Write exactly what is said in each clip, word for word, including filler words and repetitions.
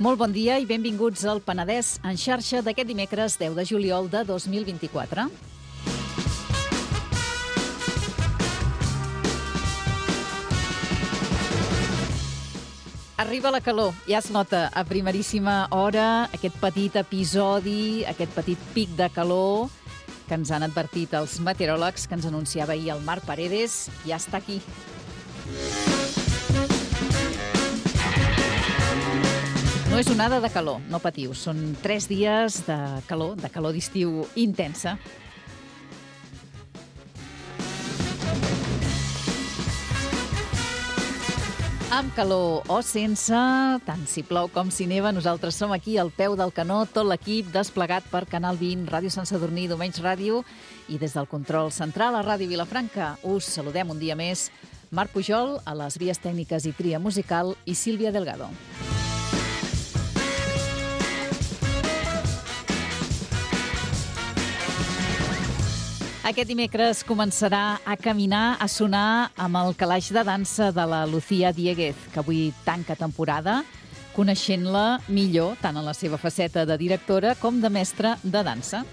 Molt bon dia i benvinguts al Penedès en xarxa d'aquest dimecres deu de juliol de dos mil vint-i-quatre. Arriba la calor, ja es nota a primeríssima hora aquest petit episodi, aquest petit pic de calor que ens han advertit els meteoròlegs, que ens anunciava ahir el Marc Paredes, ja està aquí. No és onada de calor, no patiu, són tres dies de calor, de calor d'estiu intensa. Amb calor o sense, tant si plou com si neva, nosaltres som aquí al peu del canó, tot l'equip desplegat per Canal vint, Ràdio Sant Sadurní, Domenys Ràdio, i des del control central a Ràdio Vilafranca us saludem un dia més. Marc Pujol, a les vies tècniques i tria musical, i Sílvia Delgado. Aquest dimecres començarà a caminar, a sonar amb el calaix de dansa de la Lucía Dieguez, que avui tanca temporada, coneixent-la millor tant en la seva faceta de directora com de mestra de dansa.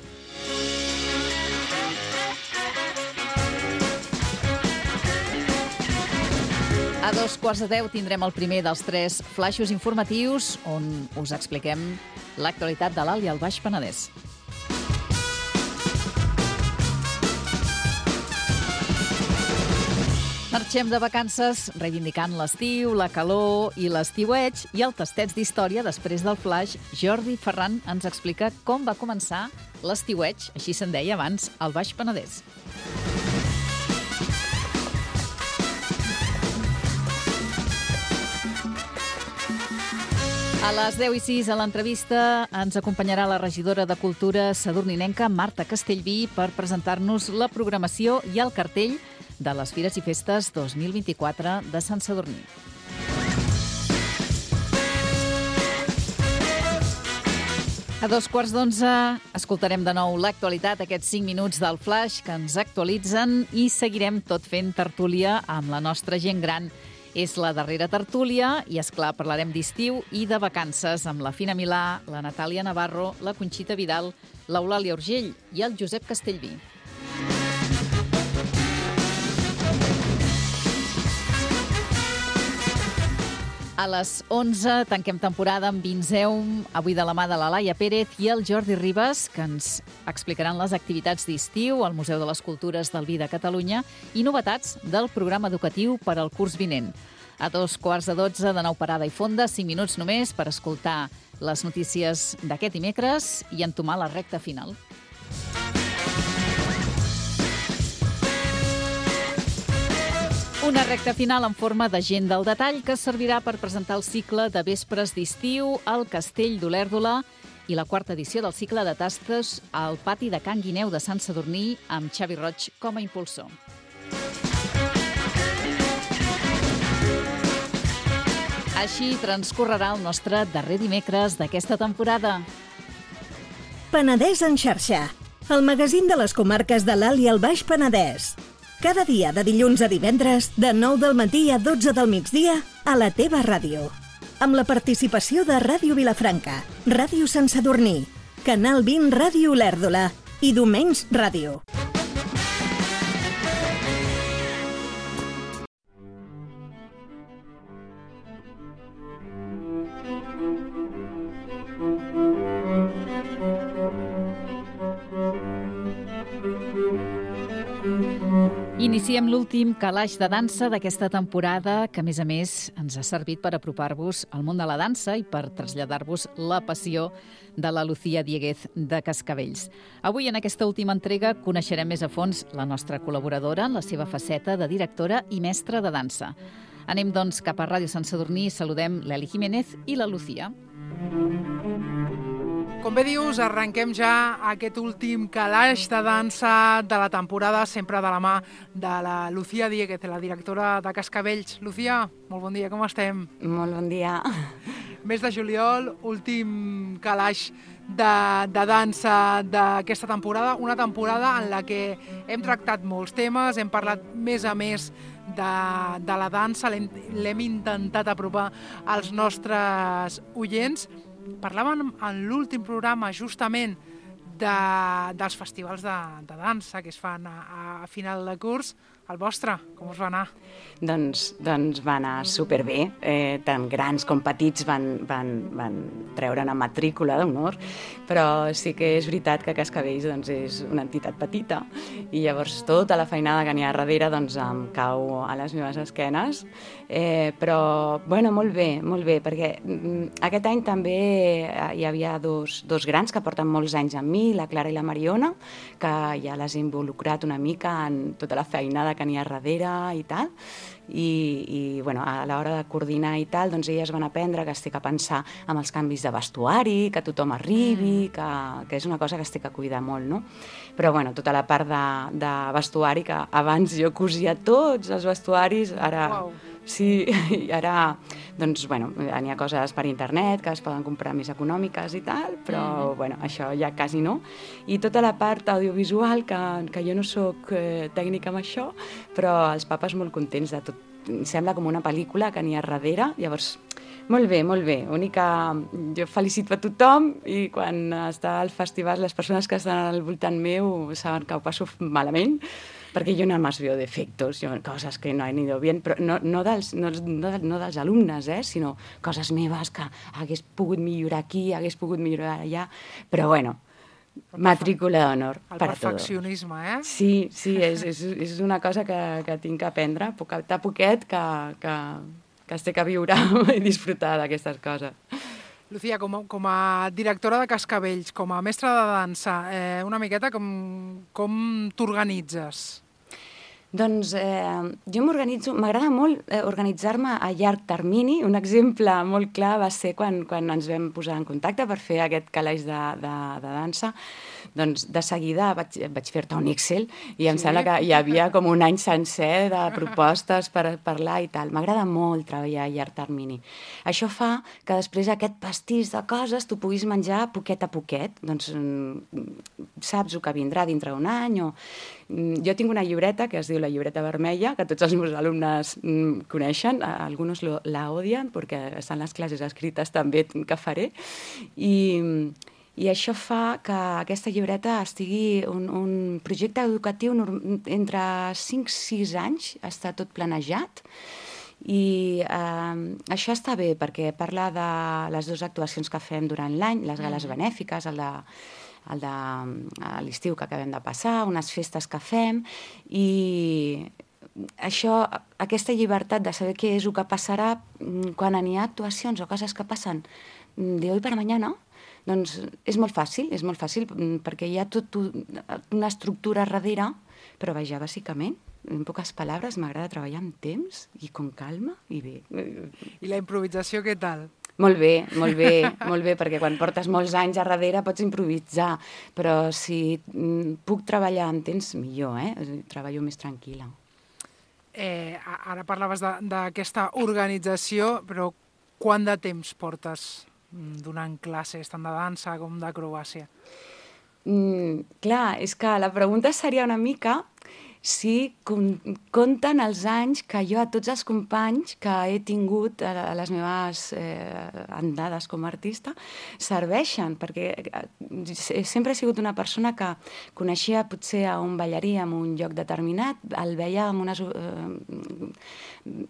A dos quarts de deu tindrem el primer dels tres flaixos informatius on us expliquem l'actualitat de l'Alt i el Baix Penedès. Marxem de vacances reivindicant l'estiu, la calor i l'estiueig, i el Tastets d'Història, després del flaix, Jordi Ferran ens explica com va començar l'estiueig, així se'n deia abans, al Baix Penedès. A les deu i sis a l'entrevista ens acompanyarà la regidora de Cultura sadurninenca, Marta Castellví, per presentar-nos la programació i el cartell de les Fires i Festes dos mil vint-i-quatre de Sant Sadurní. A dos quarts d'onze escoltarem de nou l'actualitat, aquests cinc minuts del flash que ens actualitzen, i seguirem tot fent tertúlia amb la nostra gent gran. És la darrera tertúlia i, esclar, parlarem d'estiu i de vacances amb la Fina Milà, la Natàlia Navarro, la Conxita Vidal, l'Eulàlia Urgell i el Josep Castellví. A les onze tanquem temporada amb Vinzeum, avui de la mà de la Laia Pérez i el Jordi Ribas, que ens explicaran les activitats d'estiu al Museu de les Cultures del Vi de Catalunya i novetats del programa educatiu per al curs vinent. A dos quarts de dotze, de nou parada i fonda, cinc minuts només per escoltar les notícies d'aquest dimecres i entomar la recta final. Una recta final en forma d'agenda al detall que servirà per presentar el cicle de vespres d'estiu al Castell d'Olèrdola i la quarta edició del cicle de tastes al pati de Can Guineu de Sant Sadurní amb Xavi Roig com a impulsor. Així transcorrerà el nostre darrer dimecres d'aquesta temporada. Penedès en xarxa, el magazín de les comarques de l'Alt i el Baix Penedès. Cada dia, de dilluns a divendres, de nou del matí a dotze del migdia, a la teva ràdio. Amb la participació de Ràdio Vilafranca, Ràdio Sant Sadurní, Canal vint Ràdio Olèrdola i Domenys Ràdio. Iniciem l'últim calaix de dansa d'aquesta temporada, que a més a més ens ha servit per apropar-vos al món de la dansa i per traslladar-vos la passió de la Lucía Dieguez de Cascavells. Avui, en aquesta última entrega, coneixerem més a fons la nostra col·laboradora en la seva faceta de directora i mestra de dansa. Anem, doncs, cap a Ràdio Sant Sadurní i saludem l'Eli Jiménez i la Lucía. Com bé dius, arrenquem ja aquest últim calaix de dansa de la temporada, sempre de la mà de la Lucía Dieguez, la directora de Cascavells. Lucía, molt bon dia, com estem? Molt bon dia. mes de juliol, últim calaix de, de dansa d'aquesta temporada, una temporada en la que hem tractat molts temes, hem parlat més a més de, de la dansa, l'hem intentat apropar als nostres oients. Parlàvem en l'últim programa justament de, dels festivals de, de dansa que es fan a, a final de curs. El vostre, com us va anar? Doncs, doncs va anar superbé. Eh, tant grans com petits van, van, van treure una matrícula d'honor, però sí que és veritat que Cascavells doncs, és una entitat petita i llavors tota la feinada que n'hi ha darrere doncs, em cau a les meves esquenes. Eh, però, bueno, molt bé, molt bé, perquè mm, aquest any també hi havia dos, dos grans que porten molts anys amb mi, la Clara i la Mariona, que ja les he involucrat una mica en tota la feinada que n'hi ha darrere i tal, i, i bueno, a l'hora de coordinar i tal, doncs elles van aprendre que es té que pensar amb els canvis de vestuari, que tothom arribi, que, que és una cosa que es té que cuidar molt, no? Però bueno, tota la part de, de vestuari, que abans jo cosia tots els vestuaris, ara... Wow. Sí, i ara, doncs, bueno, n'hi ha coses per internet que es poden comprar més econòmiques i tal, però, bueno, això ja quasi no. I tota la part audiovisual, que, que jo no sóc eh, tècnica amb això, però els papes molt contents de tot. Sembla com una pel·lícula que n'hi ha darrere, llavors... Molt bé, molt bé. Única, jo felicito a tothom i quan està al festival les persones que estan al voltant meu saben que ho passo malament, perquè jo nada más veo defectos, jo, coses que no han ido bien, però no, no, dels, no, no, no dels alumnes, eh, sinó coses meves que hagués pogut millorar aquí, hagués pogut millorar allà, però bueno, matrícula d'honor per a tot. El perfeccionisme, eh? Sí, sí, és, és, és una cosa que, que tinc que aprendre, poquet a poquet, que, que, que es té que viure i disfrutar d'aquestes coses. Lucía, com a, com a directora de Cascavells, com a mestra de dansa, eh, una miqueta com, com t'organitzes? Doncs eh, jo m'organitzo, m'agrada molt eh, organitzar-me a llarg termini. Un exemple molt clar va ser quan, quan ens vam posar en contacte per fer aquest calaix de, de, de dansa. Doncs de seguida vaig, vaig fer-te un Excel i em sí? sembla que hi havia com un any sencer de propostes per parlar i tal. M'agrada molt treballar a llarg termini. Això fa que després aquest pastís de coses tu puguis menjar poquet a poquet. Doncs saps el que vindrà dintre d'un any o... Jo tinc una llibreta que es diu la llibreta vermella, que tots els meus alumnes mm, coneixen, alguns lo, la odien perquè estan les classes escrites també que faré, i, i això fa que aquesta llibreta estigui un, un projecte educatiu entre cinc a sis anys, està tot planejat, i eh, això està bé perquè parla de les dues actuacions que fem durant l'any, les gales benèfiques, el de el de l'estiu que acabem de passar, unes festes que fem, i això, aquesta llibertat de saber què és el que passarà quan n'hi ha actuacions o coses que passen de hoy para mañana, doncs és molt fàcil, és molt fàcil perquè hi ha tot una estructura darrere, però vaja, bàsicament, en poques paraules, m'agrada treballar amb temps i con calma i bé. I la improvisació què tal? Molt bé, molt bé, molt bé, perquè quan portes molts anys a darrere pots improvisar, però si puc treballar en temps, millor, eh? Treballo més tranquil·la. Eh, ara parlaves d'aquesta organització, però quant de temps portes donant classes tant de dansa com d'acrobàcia? Mm, clar, és que la pregunta seria una mica si compten els anys que jo a tots els companys que he tingut a les meves eh, andades com a artista serveixen, perquè sempre he sigut una persona que coneixia potser a un ballarí en un lloc determinat, el veia amb unes eh,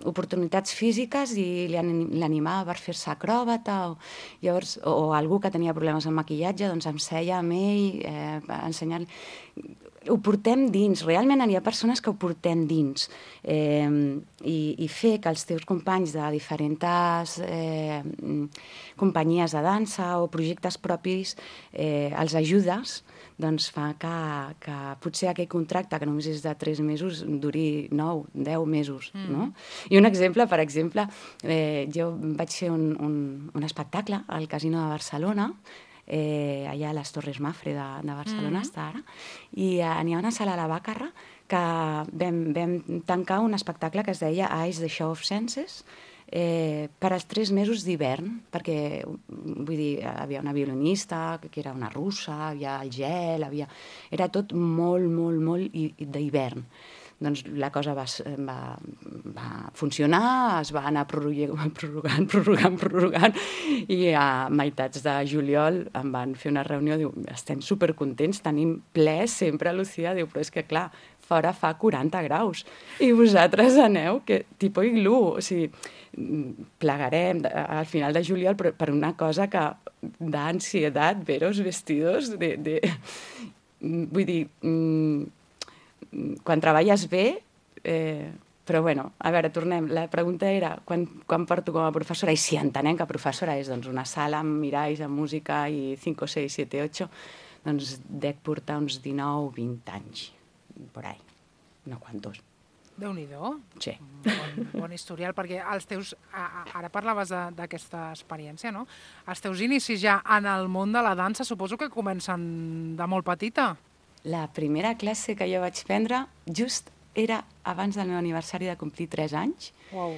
oportunitats físiques i l'animava per fer-se acròbata o, llavors, o algú que tenia problemes amb maquillatge, doncs em seia amb ell eh, ensenyant. Ho portem dins, realment hi ha persones que ho portem dins, eh, i, i fer que els teus companys de diferents eh, companyies de dansa o projectes propis eh, els ajudes, doncs fa que, que potser aquell contracte que només és de tres mesos duri nou, deu mesos, mm. no? I un exemple, per exemple, eh, jo vaig fer un, un, un espectacle al Casino de Barcelona, Eh, allà a les Torres Mafre de, de Barcelona, mm. està ara, i eh, n'hi ha una sala a la Bàcarra que vam, vam tancar un espectacle que es deia Eyes, the Show of Senses, eh, per als tres mesos d'hivern, perquè, vull dir, hi havia una violinista, que era una russa, hi havia el gel, havia... era tot molt, molt, molt d'hivern. Doncs la cosa va, va, va funcionar, es va anar prorrogant, prorrogant, prorrogant, prorrogant, i a meitats de juliol em van fer una reunió, diu, estem supercontents, tenim ple sempre, Lucía, diu, però és que clar, fora fa quaranta graus, i vosaltres aneu, que tipus iglú, o sigui, plegarem al final de juliol, però per una cosa que da ansietat ver els vestidos de... de... Vull dir, quan treballes bé, eh, però bueno, a veure, tornem. La pregunta era quan, quan porto com a professora, i si entenem que professora és doncs, una sala amb miralls, amb música i cinc, seis, set, ocho, doncs dec portar uns dinou, vint anys, por ahí, no quantos. Déu-n'hi-do. Sí. Bon, bon historial, perquè els teus, ara parlaves d'aquesta experiència, no? Els teus inicis ja en el món de la dansa suposo que comencen de molt petita. La primera classe que jo vaig prendre just era abans del meu aniversari de complir tres anys. Uau.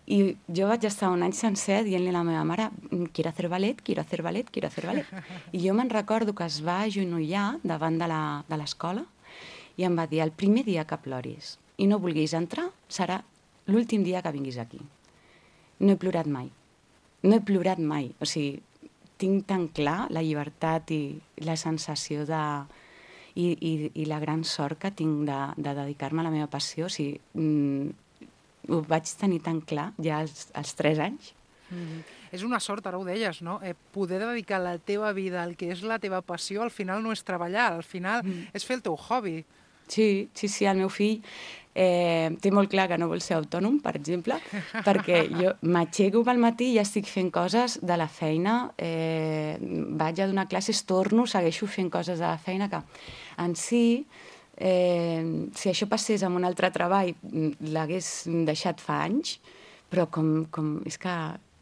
I jo vaig estar un any sencer dient-li a la meva mare quiero hacer ballet, quiero hacer ballet, quiero hacer ballet. I jo me'n recordo que es va agenollar davant de l'escola i em va dir, el primer dia que ploris i no vulguis entrar serà l'últim dia que vinguis aquí. No he plorat mai. No he plorat mai. O sigui, tinc tan clar la llibertat i la sensació de... I, i, i la gran sort que tinc de, de dedicar-me a la meva passió. O sigui, mm, ho vaig tenir tan clar ja als, als tres anys. Mm-hmm. És una sort, ara ho deies, no? Eh, poder dedicar la teva vida al que és la teva passió, al final no és treballar, al final mm. és fer el teu hobby. Sí, sí, sí, el meu fill eh, té molt clar que no vol ser autònom, per exemple, perquè jo m'aixeco pel matí i ja estic fent coses de la feina, eh, vaig a donar classes, torno, segueixo fent coses de la feina que en si, eh, si això passés amb un altre treball, l'hagués deixat fa anys, però com, com és que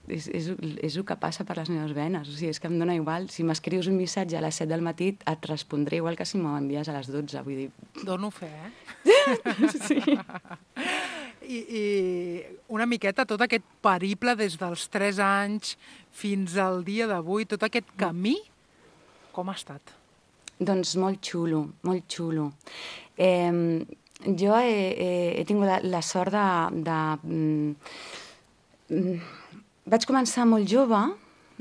és, és, és el que passa per les meves venes, o sigui, és que em dóna igual, si m'escrius un missatge a les set del matí et respondré igual que si m'ho envies a les dotze, vull dir... Dono fe, eh? Sí. I, I una miqueta tot aquest periple des dels tres anys fins al dia d'avui, tot aquest camí, com ha estat? Doncs molt xulo, molt xulo. Eh, jo he, he, he tingut la, la sort de... de mm, vaig començar molt jove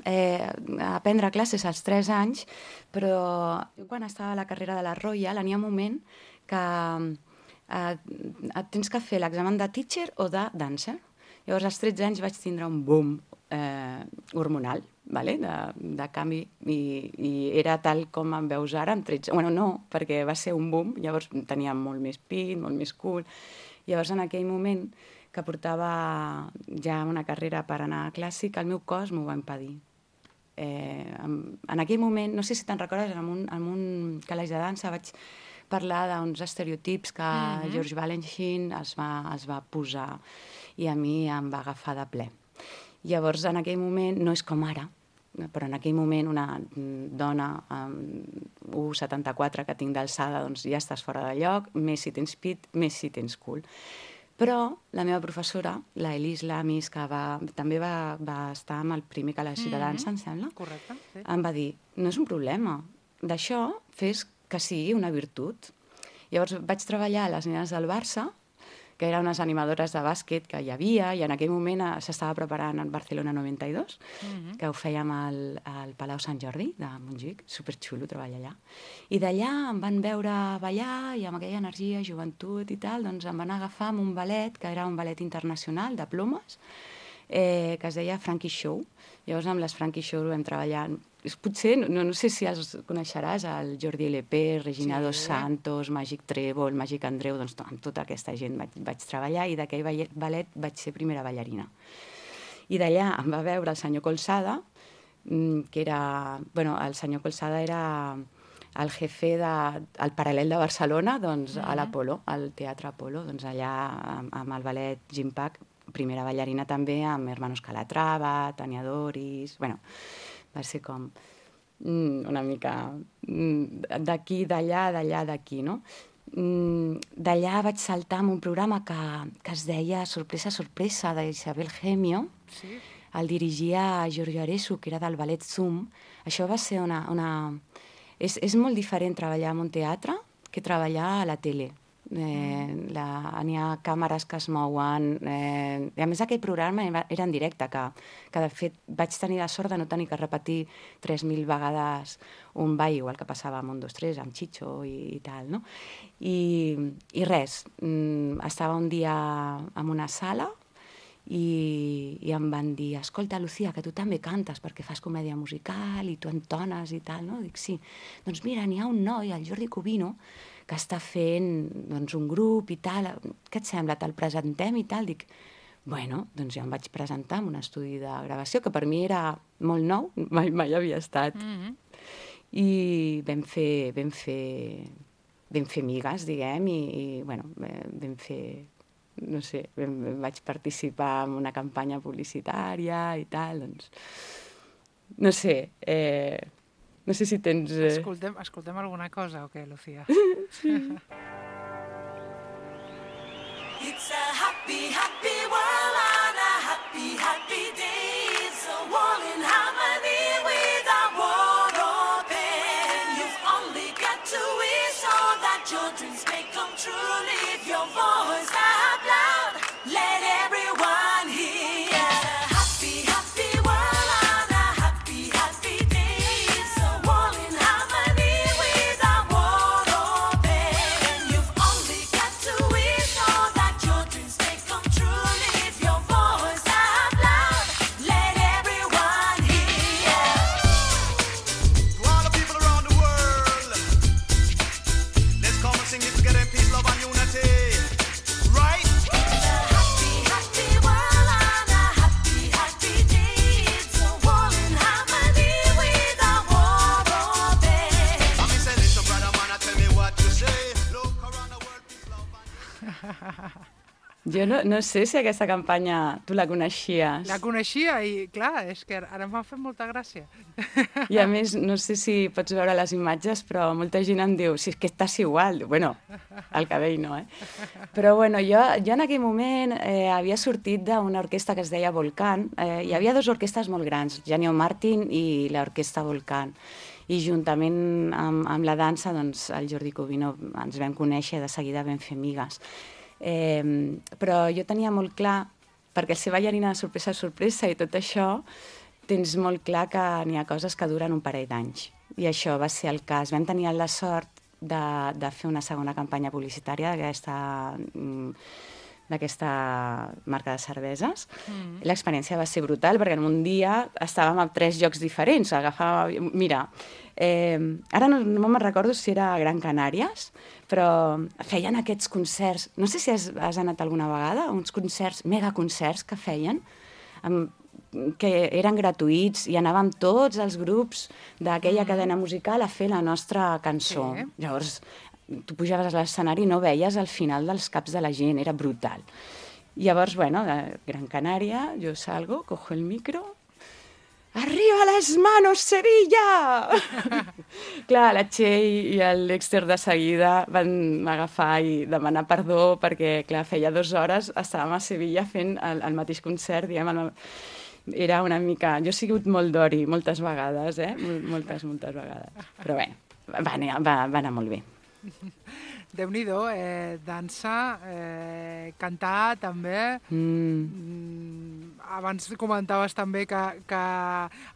eh, a aprendre classes als tres anys, però quan estava a la carrera de la Royal n'hi ha un moment que eh, et tens que fer l'examen de teacher o de dancer. Llavors, als tretze anys vaig tindre un boom eh, hormonal, vale? de, de canvi, i, i era tal com em veus ara amb tretze... Bueno, no, perquè va ser un boom, llavors tenia molt més pit, molt més cul. Llavors, en aquell moment que portava ja una carrera per anar a clàssic, el meu cos m'ho va impedir. Eh, en, en aquell moment, no sé si te'n recordes, en un, en un calaix de dansa vaig parlar d'uns estereotips que mm-hmm. George Balanchine es va, es va posar i a mi em va agafar de ple. Llavors, en aquell moment, no és com ara, però en aquell moment una dona amb u coma setanta-quatre que tinc d'alçada, doncs ja estàs fora de lloc, més si tens pit, més si tens cul. Però la meva professora, la Elise Lamis, que va, també va, va estar amb el primer calaix mm-hmm. de dansa, em sembla, correcte, sí. Em va dir, no és un problema, d'això fes que sigui una virtut. Llavors vaig treballar a les nenes del Barça, que eren unes animadores de bàsquet que hi havia, i en aquell moment s'estava preparant el Barcelona noranta i dos, mm-hmm. que ho fèiem al, al Palau Sant Jordi de Montjuïc, superxulo treballar allà. I d'allà em van veure ballar, i amb aquella energia, joventut i tal, doncs em van agafar amb un ballet, que era un ballet internacional de plomes, eh, que es deia Frankie Show. Llavors amb les Frankie Show vam treballar... Potser, no, no sé si els coneixeràs, el Jordi L P, Regina sí. Dos Santos, Màgic Trèvol, Màgic Andreu, doncs amb tota aquesta gent vaig, vaig treballar i d'aquell ballet vaig ser primera ballarina. I d'allà em va veure el senyor Colsada, que era... Bueno, el senyor Colsada era el jefe del de, Paral·lel de Barcelona, doncs, uh-huh. a l'Apolo, al Teatre Apolo, doncs allà amb, amb el ballet Gimpak, primera ballarina també, amb Hermanos Calatrava, Tania Doris... Bueno, va ser com mm, una mica mm, d'aquí, d'allà, d'allà, d'aquí, no? D'allà vaig saltar amb un programa que, que es deia Sorpresa, sorpresa, d'Isabel Gemio. Sí. El dirigia Giorgio Aresu, que era del ballet Zoom. Això va ser una... una... És, és molt diferent treballar en un teatre que treballar a la tele. Eh, la, n'hi ha càmeres que es mouen, eh, i a més aquell programa era en directe, que, que de fet vaig tenir la sort de no tenir que repetir tres mil vegades un ball, igual que passava amb un, dos, tres, amb Chicho i, i tal, no? I, i res, mm, estava un dia en una sala i, i em van dir, escolta, Lucía, que tu també cantes perquè fas comèdia musical i tu entones i tal, no? Dic, sí. Doncs mira, n'hi ha un noi, el Jordi Cubino, que està fent doncs, un grup i tal, què et sembla, te'l presentem i tal? Dic, bueno, doncs ja em vaig presentar en un estudi de gravació, que per mi era molt nou, mai, mai havia estat. Mm-hmm. I vam fer, vam fer, vam fer migues, diguem, i, i bueno, vam fer, no sé, vam, vaig participar en una campanya publicitària i tal, doncs, no sé, eh, no sé si tens... Eh... Escoltem, escoltem alguna cosa o què, Lucía? Sí. It's a happy, happy world on a happy, happy day. It's a world in harmony without war or pain. You've only got to wish all that your dreams may come true. Leave your voice out loud. Let everyone hear. Jo no, no sé si aquesta campanya tu la coneixies. La coneixia i, clar, és que ara m'ha fet molta gràcia. I a més, no sé si pots veure les imatges, però molta gent em diu, si és que estàs igual. Bueno, el cabell no, eh? Però bueno, jo, jo en aquell moment eh, havia sortit d'una orquestra que es deia Volcán. Eh, hi havia dues orquestres molt grans, Genio Martin i l'orquestra Volcán. I juntament amb, amb la dansa, doncs, el Jordi Cubino ens vam conèixer, de seguida vam fer amigues. Eh, però jo tenia molt clar, perquè el ser ballarina de sorpresa a sorpresa i tot això, tens molt clar que n'hi ha coses que duren un parell d'anys. I això va ser el cas. Vam tenir la sort de, de fer una segona campanya publicitària d'aquesta... d'aquesta marca de cerveses. Mm. L'experiència va ser brutal, perquè en un dia estàvem a tres llocs diferents. Agafava... Mira, eh, ara no, no me'n recordo si era a Gran Canàries, però feien aquests concerts, no sé si has, has anat alguna vegada, uns concerts, megaconcerts que feien, amb, que eren gratuïts, i anàvem tots els grups d'aquella mm. cadena musical a fer la nostra cançó. Sí. Llavors, tu pujaves a l'escenari i no veies el final dels caps de la gent, era brutal. Llavors, bueno, de Gran Canària, jo salgo, cojo el micro, ¡arriba las manos, Sevilla! Clar, la Txell i el Dexter de seguida van agafar i demanar perdó perquè, clar, feia dues hores estàvem a Sevilla fent el, el mateix concert, diguem, el, era una mica... Jo he sigut molt d'ori moltes vegades, eh? Moltes, moltes vegades. Però bé, va anar, va, va anar molt bé. Déu-n'hi-do, eh, dansa, eh, cantar també. Mm. Abans comentaves també que, que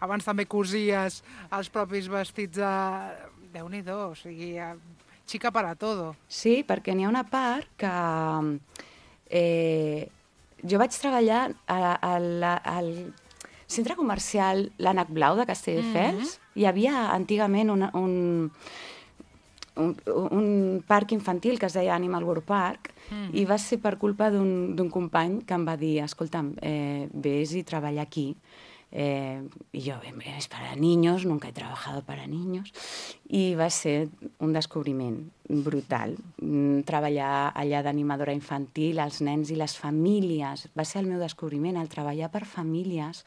abans també cosies els propis vestits de... Déu-n'hi-do, o sigui, xica para todo. Sí, perquè n'hi ha una part que... Eh, jo vaig treballar al centre comercial l'Ànec Blau de Castelldefels. Mm-hmm. Hi havia antigament un... un Un, un parc infantil que es deia Animal World Park, mm. i va ser per culpa d'un company que em va dir, escolta'm, eh, ves i treballa aquí. Eh, I jo, es para niños, nunca he trabajado para niños. I va ser un descobriment brutal. Mm, treballar allà d'animadora infantil, els nens i les famílies. Va ser el meu descobriment, el treballar per famílies,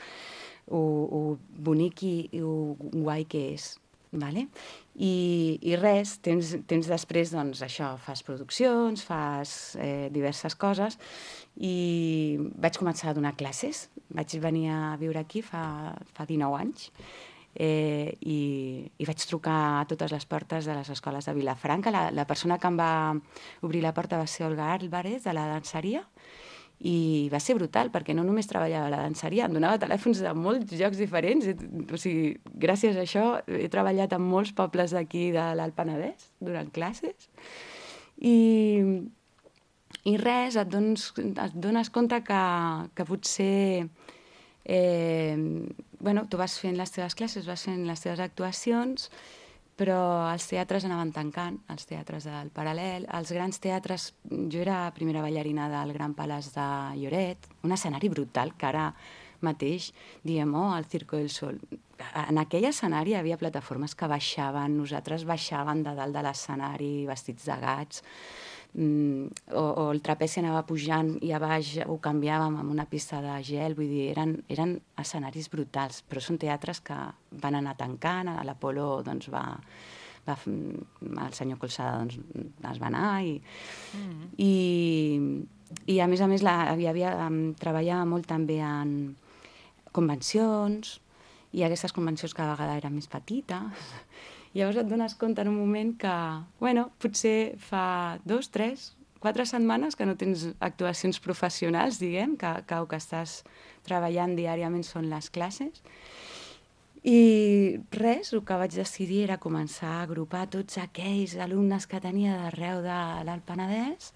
o, o bonic i, i o guai que és. Vale? I, i res, temps, temps després, doncs, això, fas produccions, fas eh, diverses coses, i vaig començar a donar classes. Vaig venir a viure aquí fa, fa dinou anys, eh, i, i vaig trucar a totes les portes de les escoles de Vilafranca. La, la persona que em va obrir la porta va ser Olga Álvarez, de la danseria, i va ser brutal, perquè no només treballava a la danseria, em donava telèfons de molts llocs diferents. O sigui, gràcies a això he treballat en molts pobles d'aquí de l'Alt Penedès durant classes. I, i res, et dones, et dones compte que, que potser eh, bueno, tu vas fent les teves classes, vas fent les teves actuacions, però els teatres anaven tancant, els teatres del Paral·lel, els grans teatres. Jo era primera ballarina del Gran Palaç de Lloret, un escenari brutal que ara mateix diem, oh, el Circo del Sol. En aquell escenari hi havia plataformes que baixaven, nosaltres baixàvem de dalt de l'escenari vestits de gats, mm, o, o el trapezi anava pujant i a baix ho canviàvem amb una pista de gel, vull dir, eren, eren escenaris brutals, però són teatres que van anar tancant, a l'Apolo doncs va, va, el senyor Colsada doncs, es va anar i, mm. i, i a més a més la, havia, havia, treballava molt també en convencions, i aquestes convencions cada vegada eren més petites. Llavors et dones compte en un moment que, bueno, potser fa dos, tres, quatre setmanes que no tens actuacions professionals, diguem, que, que el que estàs treballant diàriament són les classes. I res, el que vaig decidir era començar a agrupar tots aquells alumnes que tenia d'arreu de l'Alt Penedès,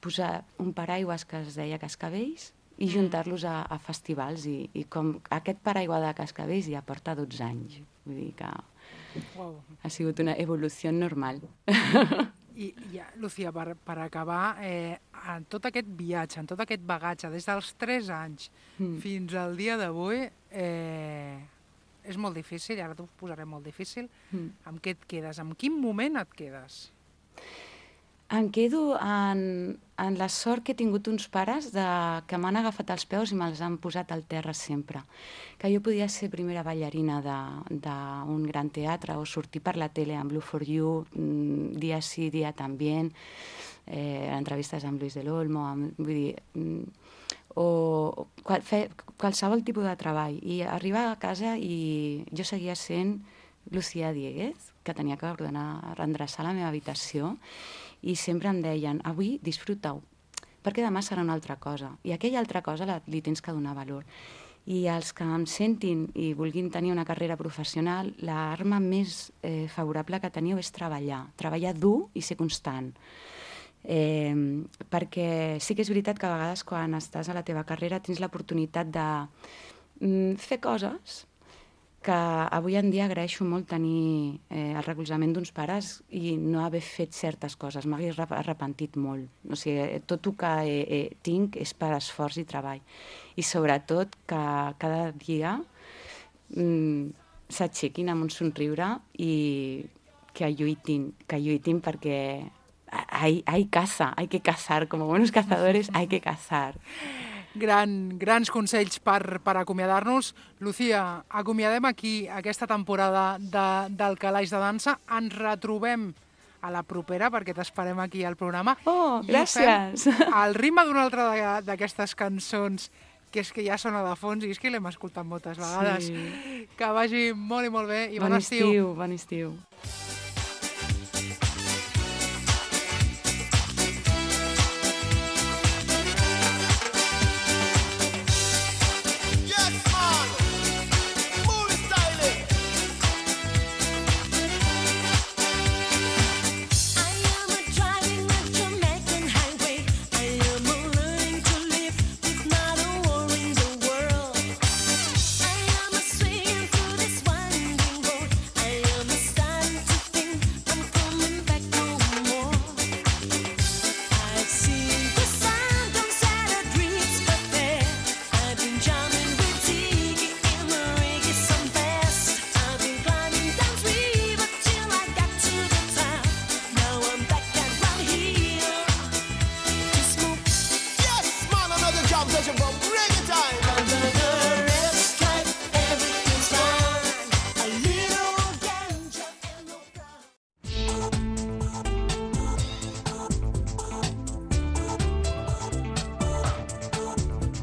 posar un paraigües que es deia Cascavells i juntar-los a, a festivals. I, i com aquest paraigua de Cascavells ja porta dotze anys. Vull dir que wow. Ha sigut una evolució normal. I, ja, Lucía, per, per acabar, eh, en tot aquest viatge, en tot aquest bagatge, des dels tres anys mm. fins al dia d'avui, eh, és molt difícil, ara t'ho posaré molt difícil. Mm. Amb què et quedes? En quin moment et quedes? Em quedo en, en la sort que he tingut uns pares de, que m'han agafat els peus i me'ls han posat al terra sempre. Que jo podia ser primera ballarina d'un gran teatre o sortir per la tele amb Blue for You, dia sí, dia també, eh, entrevistes amb Luis del Olmo, amb, vull dir, o qual, fer qualsevol tipus de treball. I arribar a casa i jo seguia sent Lucía Dieguez, que tenia que ordenar, endreçar la meva habitació, i sempre em deien, avui disfruta-ho, perquè demà serà una altra cosa, i aquella altra cosa la, li tens que donar valor. I els que em sentin i vulguin tenir una carrera professional, l'arma més eh, favorable que teniu és treballar, treballar dur i ser constant. Eh, perquè sí que és veritat que a vegades quan estàs a la teva carrera tens l'oportunitat de mm, fer coses que avui en dia agraeixo molt tenir eh, el recolzament d'uns pares i no haver fet certes coses. M'hagués arrepentit molt. O sigui, tot el que eh, eh, tinc és per esforç i treball. I sobretot que cada dia mm, s'aixequin amb un somriure i que lluitin, que lluitin perquè hay, hay caza, hay que cazar. Como buenos cazadores hay que cazar. Gran, grans consells per, per acomiadar-nos. Lucía, acomiadem aquí aquesta temporada de, del Calaix de Dansa. Ens retrobem a la propera, perquè t'esperem aquí al programa. Oh, gràcies! Al ritme d'una altra d'aquestes cançons, que és que ja sona de fons, i és que l'hem escoltat moltes vegades. Sí. Que vagi molt i molt bé, i bon, bon estiu. estiu. Bon estiu, bon estiu. To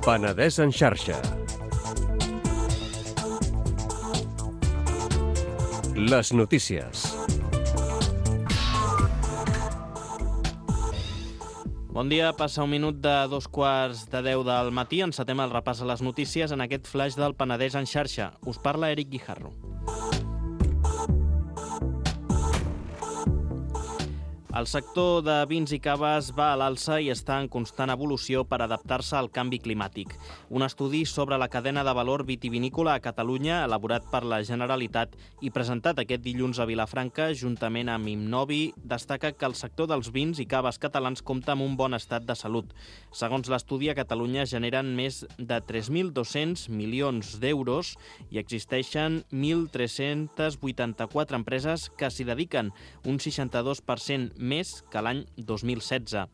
Penedès en xarxa. Les notícies. Bon dia, passa un minut de dos quarts de deu del matí. Encetem el repàs a les notícies en aquest flash del Penedès en xarxa. Us parla Eric Guijarro. El sector de vins i caves va a l'alça i està en constant evolució per adaptar-se al canvi climàtic. Un estudi sobre la cadena de valor vitivinícola a Catalunya, elaborat per la Generalitat i presentat aquest dilluns a Vilafranca, juntament amb Imnovi, destaca que el sector dels vins i caves catalans compta amb un bon estat de salut. Segons l'estudi, a Catalunya generen més de tres mil dos-cents milions d'euros i existeixen mil tres-cents vuitanta-quatre empreses que s'hi dediquen, un seixanta-dos per cent més que l'any dos mil setze.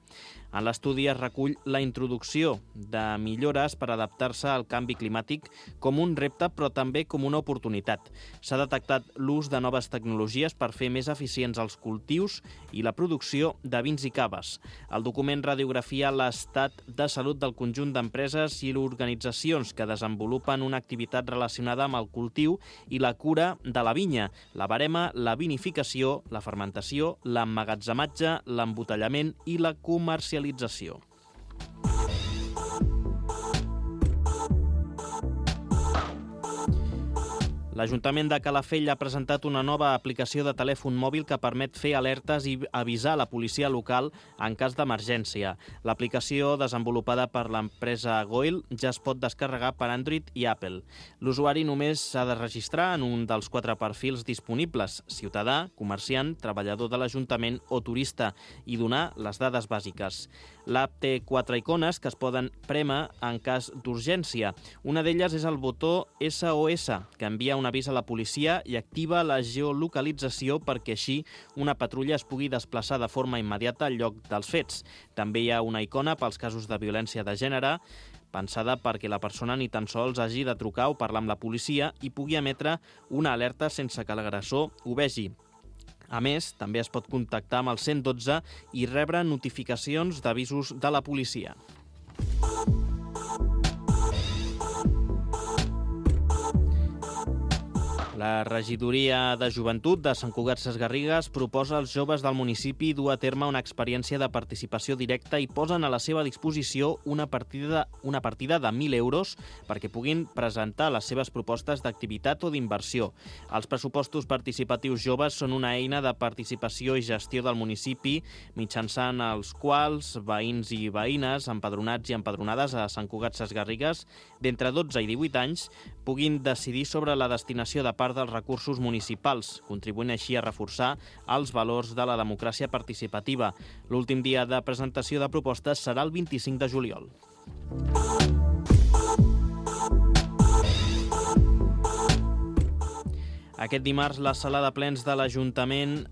En l'estudi es recull la introducció de millores per adaptar-se al canvi climàtic com un repte, però també com una oportunitat. S'ha detectat l'ús de noves tecnologies per fer més eficients els cultius i la producció de vins i caves. El document radiografia l'estat de salut del conjunt d'empreses i organitzacions que desenvolupen una activitat relacionada amb el cultiu i la cura de la vinya, la verema, la vinificació, la fermentació, l'emmagatzematge, l'embotellament i la comercialització. L'Ajuntament de Calafell ha presentat una nova aplicació de telèfon mòbil que permet fer alertes i avisar la policia local en cas d'emergència. L'aplicació, desenvolupada per l'empresa Goil, ja es pot descarregar per Android i Apple. L'usuari només s'ha de registrar en un dels quatre perfils disponibles: ciutadà, comerciant, treballador de l'Ajuntament o turista, i donar les dades bàsiques. L'app té quatre icones que es poden prémer en cas d'urgència. Una d'elles és el botó S O S, que envia un avís a la policia i activa la geolocalització perquè així una patrulla es pugui desplaçar de forma immediata al lloc dels fets. També hi ha una icona pels casos de violència de gènere, pensada perquè la persona ni tan sols hagi de trucar o parlar amb la policia i pugui emetre una alerta sense que l'agressor ho vegi. A més, també es pot contactar amb el cent dotze i rebre notificacions d'avisos de la policia. La regidoria de Joventut de Sant Cugat Sesgarrigues proposa als joves del municipi dur a terme una experiència de participació directa i posen a la seva disposició una partida, una partida de mil euros perquè puguin presentar les seves propostes d'activitat o d'inversió. Els pressupostos participatius joves són una eina de participació i gestió del municipi mitjançant els quals veïns i veïnes, empadronats i empadronades a Sant Cugat Sesgarrigues d'entre dotze i divuit anys puguin decidir sobre la destinació de part dels recursos municipals, contribuint així a reforçar els valors de la democràcia participativa. L'últim dia de presentació de propostes serà el vint-i-cinc de juliol. Aquest dimarts, la sala de plens de l'Ajuntament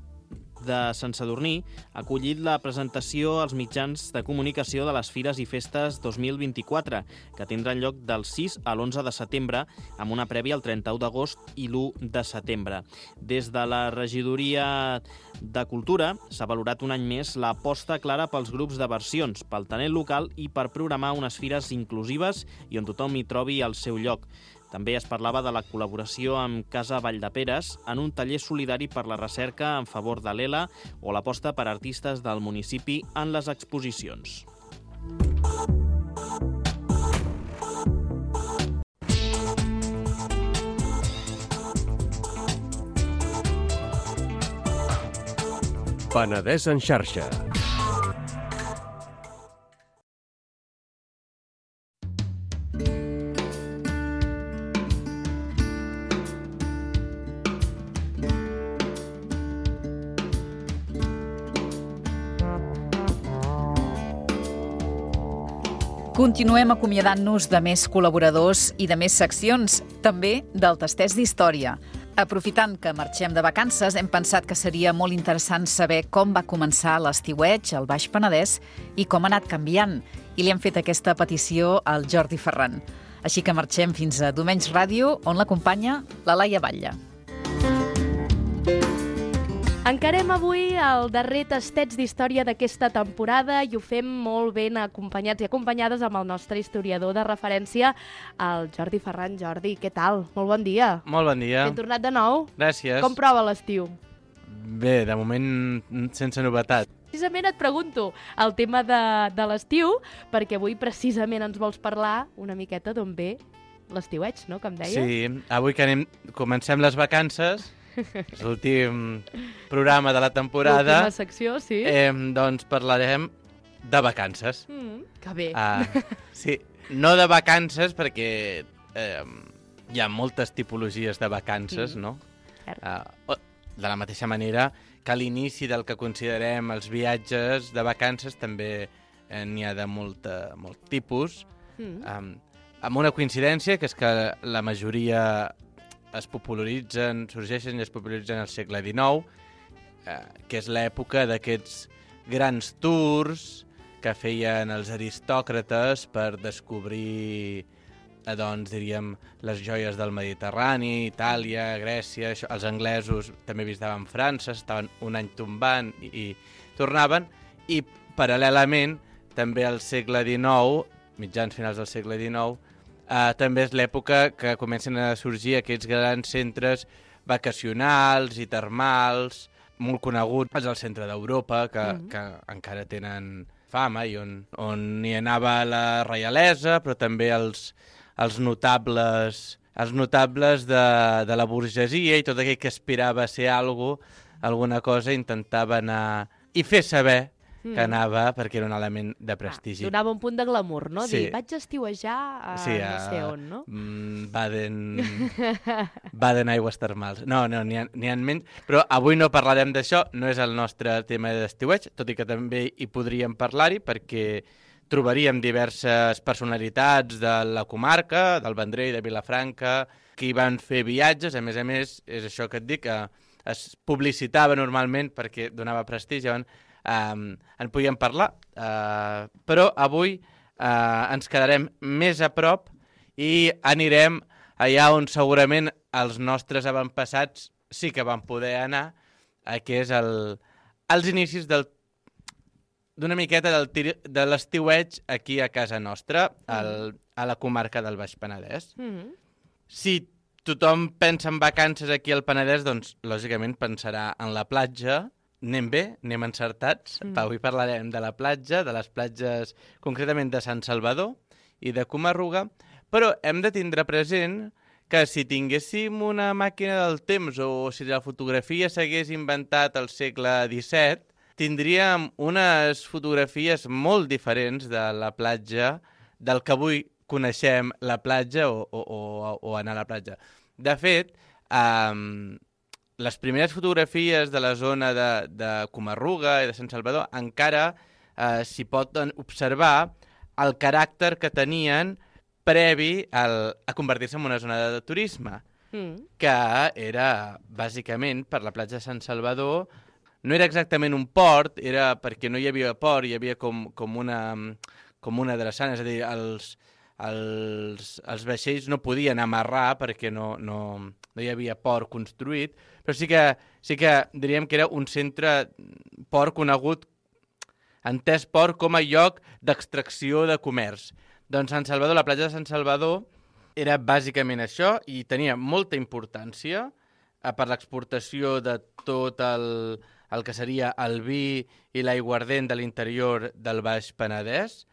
de Sant Sadurní ha acollit la presentació als mitjans de comunicació de les Fires i Festes dos mil vint-i-quatre, que tindran lloc del sis a l'onze de setembre, amb una prèvia el trenta-u d'agost i l'u de setembre. Des de la regidoria de Cultura s'ha valorat un any més l'aposta clara pels grups de versions, pel talent local i per programar unes fires inclusives i on tothom hi trobi el seu lloc. També es parlava de la col·laboració amb Casa Valldeperes en un taller solidari per la recerca en favor de l'E L A o l'aposta per artistes del municipi en les exposicions. Penedès en xarxa. Continuem acomiadant-nos de més col·laboradors i de més seccions, també del Tasters d'Història. Aprofitant que marxem de vacances, hem pensat que seria molt interessant saber com va començar l'estiueig al Baix Penedès i com ha anat canviant. I li hem fet aquesta petició al Jordi Ferran. Així que marxem fins a Domenys Ràdio, on l'acompanya la Laia Batlle. Encarem avui el darrer tastets d'història d'aquesta temporada i ho fem molt ben acompanyats i acompanyades amb el nostre historiador de referència, el Jordi Ferran. Jordi, què tal? Molt bon dia. Molt bon dia. Ben tornat de nou. Gràcies. Com prova l'estiu? Bé, de moment sense novetat. Precisament et pregunto el tema de, de l'estiu, perquè avui precisament ens vols parlar una miqueta d'on ve l'estiueig, no?, que em deies. Sí, avui que anem, comencem les vacances, és l'últim programa de la temporada. L'última secció, sí. Eh, doncs parlarem de vacances. Mm, que bé. Uh, sí, no de vacances perquè eh, hi ha moltes tipologies de vacances, mm. no? Uh, de la mateixa manera que a l'inici del que considerem els viatges de vacances també eh, n'hi ha de molta, molt tipus, mm. um, amb una coincidència, que és que la majoria es popularitzen, sorgeixen i es popularitzen al segle dinou, eh, que és l'època d'aquests grans tours que feien els aristòcrates per descobrir, eh, doncs, diríem, les joies del Mediterrani, Itàlia, Grècia. Això, els anglesos també visitaven França, estaven un any tombant i, i tornaven, i paral·lelament també al segle dinou, mitjans finals del segle dinou, Uh, també és l'època que comencen a sorgir aquests grans centres vacacionals i termals, molt coneguts al centre d'Europa, que, mm-hmm. que encara tenen fama i on, on hi anava la reialesa, però també els, els notables, els notables de, de la burgesia i tot aquell que aspirava a ser algo, alguna cosa, intentava anar i fer saber que anava, perquè era un element de prestigi. Ah, donava un punt de glamour, no? Sí. Dir, vaig estiuejar a sí, a, no sé on, no? Mm, Baden... Baden aigües termals. No, no, n'hi ha, n'hi ha menys. Però avui no parlarem d'això, no és el nostre tema d'estiueig, tot i que també hi podríem parlar-hi, perquè trobaríem diverses personalitats de la comarca, del Vendrell, de Vilafranca, que hi van fer viatges. A més a més, és això que et dic, que es publicitava normalment perquè donava prestigi, Um, en podíem parlar, uh, però avui uh, ens quedarem més a prop i anirem allà on segurament els nostres avantpassats sí que van poder anar, uh, que és el, els inicis del, d'una miqueta del tir, de l'estiueig aquí a casa nostra, al, a la comarca del Baix Penedès. Mm-hmm. Si tothom pensa en vacances aquí al Penedès, doncs lògicament pensarà en la platja. Anem bé, anem encertats. Mm. Avui parlarem de la platja, de les platges concretament de Sant Salvador i de Coma-ruga, però hem de tindre present que si tinguéssim una màquina del temps o si la fotografia s'hagués inventat al segle disset, tindríem unes fotografies molt diferents de la platja, del que avui coneixem la platja o, o, o, o anar a la platja. De fet, eh, les primeres fotografies de la zona de, de Coma-ruga i de Sant Salvador encara eh, s'hi pot observar el caràcter que tenien previ al, a convertir-se en una zona de turisme, mm. que era, bàsicament, per la platja de Sant Salvador. No era exactament un port, era perquè no hi havia port, hi havia com, com, una, com una drassana, és a dir, els, els, els vaixells no podien amarrar perquè no, no, no hi havia port construït, però sí que, sí que diríem que era un centre port conegut, entès port com a lloc d'extracció de comerç. Doncs Sant Salvador, la platja de Sant Salvador, era bàsicament això i tenia molta importància eh, per l'exportació de tot el, el que seria el vi i l'aiguardent de l'interior del Baix Penedès,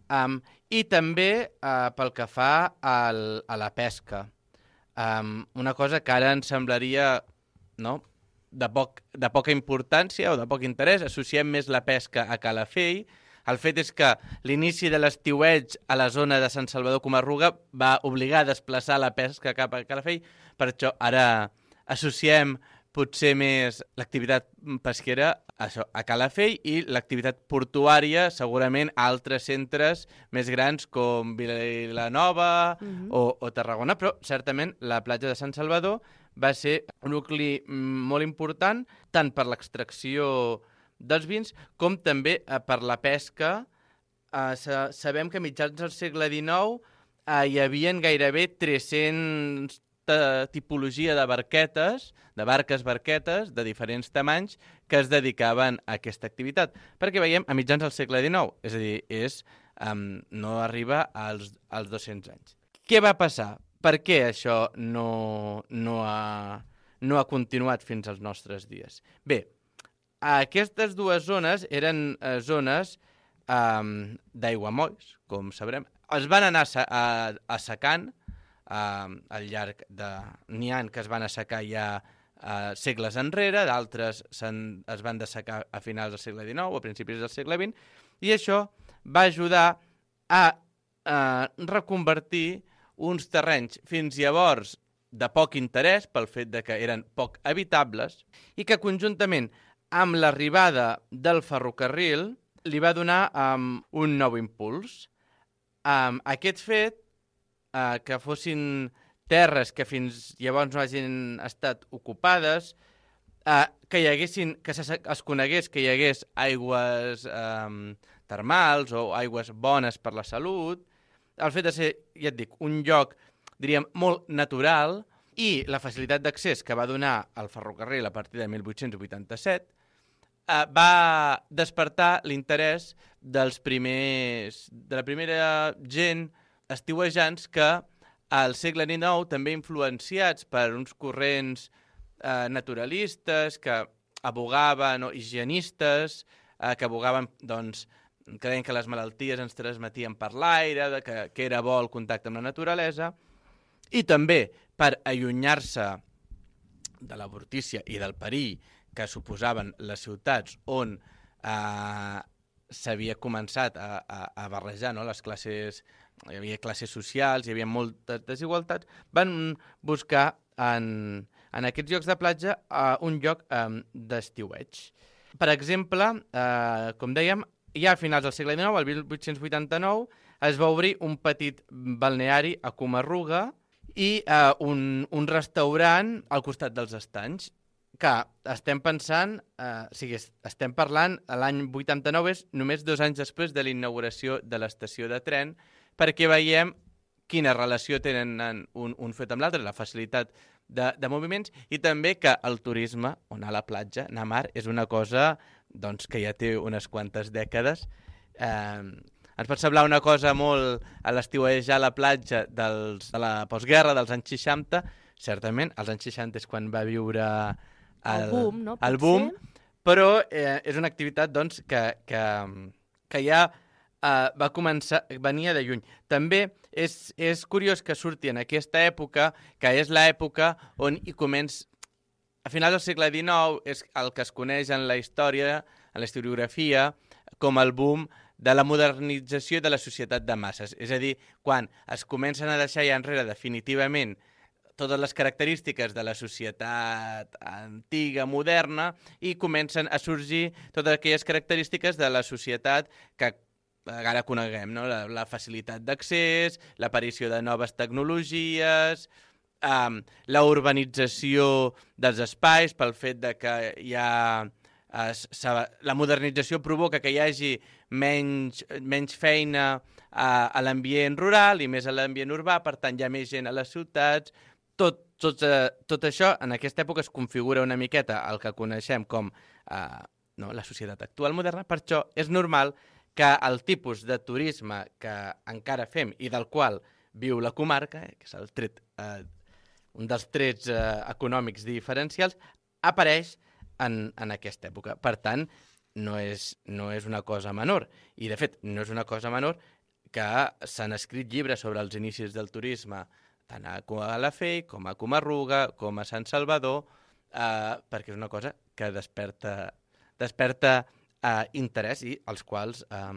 um, i també eh, pel que fa al, a la pesca. Um, una cosa que ara ens semblaria, no?, de, poc, de poca importància o de poc interès, associem més la pesca a Calafell. El fet és que l'inici de l'estiueig a la zona de Sant Salvador Coma-ruga va obligar a desplaçar la pesca cap a Calafell, per això ara associem potser més l'activitat pesquera a, això, a Calafell i l'activitat portuària segurament a altres centres més grans com Vilanova mm-hmm. o, o Tarragona, però certament la platja de Sant Salvador va ser un nucli molt important tant per l'extracció dels vins com també eh, per la pesca. Eh, sabem que a mitjans del segle dinou eh, hi havia gairebé tres-cents aquesta tipologia de barquetes, de barques barquetes, de diferents tamanys, que es dedicaven a aquesta activitat. Perquè veiem a mitjans del segle dinou, és a dir, és, um, no arriba als, als dos-cents anys. Què va passar? Per què això no, no, ha, no ha continuat fins als nostres dies? Bé, aquestes dues zones eren eh, zones um, d'aiguamolls, com sabrem. Es van anar a, a secant uh, al llarg de... N'hi ha que es van assecar ja uh, segles enrere, d'altres es van dessecar a finals del segle dinou o a principis del segle vint, i això va ajudar a uh, reconvertir uns terrenys fins llavors de poc interès pel fet de que eren poc habitables i que conjuntament amb l'arribada del ferrocarril li va donar um, un nou impuls. Um, aquest fet, uh, que fossin terres que fins llavors no hagin estat ocupades, uh, que hi haguessin, que se, es conegués que hi hagués aigües um, termals o aigües bones per la salut, el fet de ser, ja et dic, un lloc, diríem, molt natural, i la facilitat d'accés que va donar el ferrocarril a partir de mil vuit-cents vuitanta-set, Uh, va despertar l'interès dels primers, de la primera gent estiuejants que al segle dinou, també influenciats per uns corrents uh, naturalistes que abogaven, o higienistes, uh, que abogaven, doncs, que deien que les malalties ens transmetien per l'aire, que, que era bo el contacte amb la naturalesa, i també per allunyar-se de l'avortícia i del perill que suposaven les ciutats on eh, s'havia començat a, a, a barrejar, no? Les classes, hi havia classes socials, hi havia moltes desigualtats, van buscar en, en aquests llocs de platja eh, un lloc eh, d'estiueig. Per exemple, eh, com dèiem, ja a finals del segle dinou, el mil vuit-cents vuitanta-nou, es va obrir un petit balneari a Comarruga i eh, un, un restaurant al costat dels estanys, que estem pensant, eh, o sigui, estem parlant, l'any vuitanta-nou és només dos anys després de la inauguració de l'estació de tren, perquè veiem quina relació tenen un, un fet amb l'altre, la facilitat de, de moviments, i també que el turisme, o anar a la platja, anar a mar, és una cosa doncs, que ja té unes quantes dècades. Eh, ens pot semblar una cosa molt a l'estiuejar a la platja dels, de la postguerra, dels anys seixanta, certament, als anys seixanta és quan va viure el, el boom, no? el boom, però eh, és una activitat doncs, que, que, que ja eh, va començar, venia de lluny. També és, és curiós que surti en aquesta època, que és l'època on hi comença, a finals del segle dinou, és el que es coneix en la història, en la historiografia, com el boom de la modernització de la societat de masses. És a dir, quan es comencen a deixar ja enrere definitivament totes les característiques de la societat antiga, moderna, i comencen a sorgir totes aquelles característiques de la societat que ara coneguem, no? La, la facilitat d'accés, l'aparició de noves tecnologies, um, la urbanització dels espais pel fet de que hi ha... Es, la modernització provoca que hi hagi menys, menys feina a, a l'ambient rural i més a l'ambient urbà, per tant hi ha més gent a les ciutats. Tot, tot, eh, tot això en aquesta època es configura una miqueta el que coneixem com eh, no, la societat actual moderna. Per això és normal que el tipus de turisme que encara fem i del qual viu la comarca, eh, que és el tret, eh, un dels trets eh, econòmics diferencials, apareix en, en aquesta època. Per tant, no és, no és una cosa menor. I, de fet, no és una cosa menor que s'han escrit llibres sobre els inicis del turisme tant a Calafell, com a Comarruga, com a Sant Salvador, eh, perquè és una cosa que desperta, desperta eh, interès i els quals eh,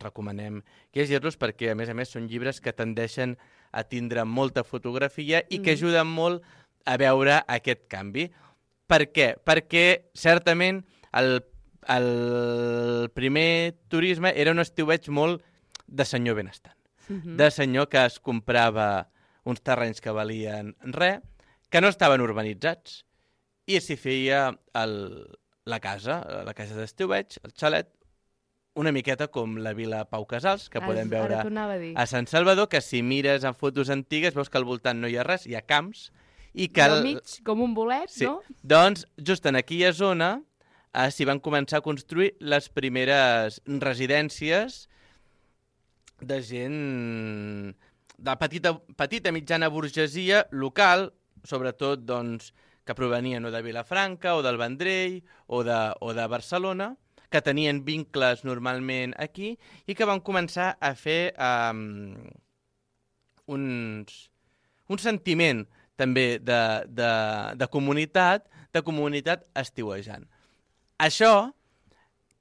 recomanem llegir-los perquè, a més a més, són llibres que tendeixen a tindre molta fotografia i que ajuden molt a veure aquest canvi. Per què? Perquè, certament, el, el primer turisme era un estiueig molt de senyor benestant, uh-huh. de senyor que es comprava uns terrenys que valien res, que no estaven urbanitzats, i s'hi feia el, la casa, la casa d'estiueig, el xalet, una miqueta com la Vila Pau Casals, que podem veure Ara t'ho anava a dir. a Sant Salvador, que si mires en fotos antigues veus que al voltant no hi ha res, hi ha camps, i que... I al el- mig, com un bolet, Sí. no? Doncs, just en aquella zona eh, s'hi van començar a construir les primeres residències de gent de petita, petita mitjana burgesia local, sobretot doncs, que provenien o de Vilafranca o del Vendrell o de, o de Barcelona, que tenien vincles normalment aquí i que van començar a fer um, uns, un sentiment també de, de, de comunitat, de comunitat estiuejant. Això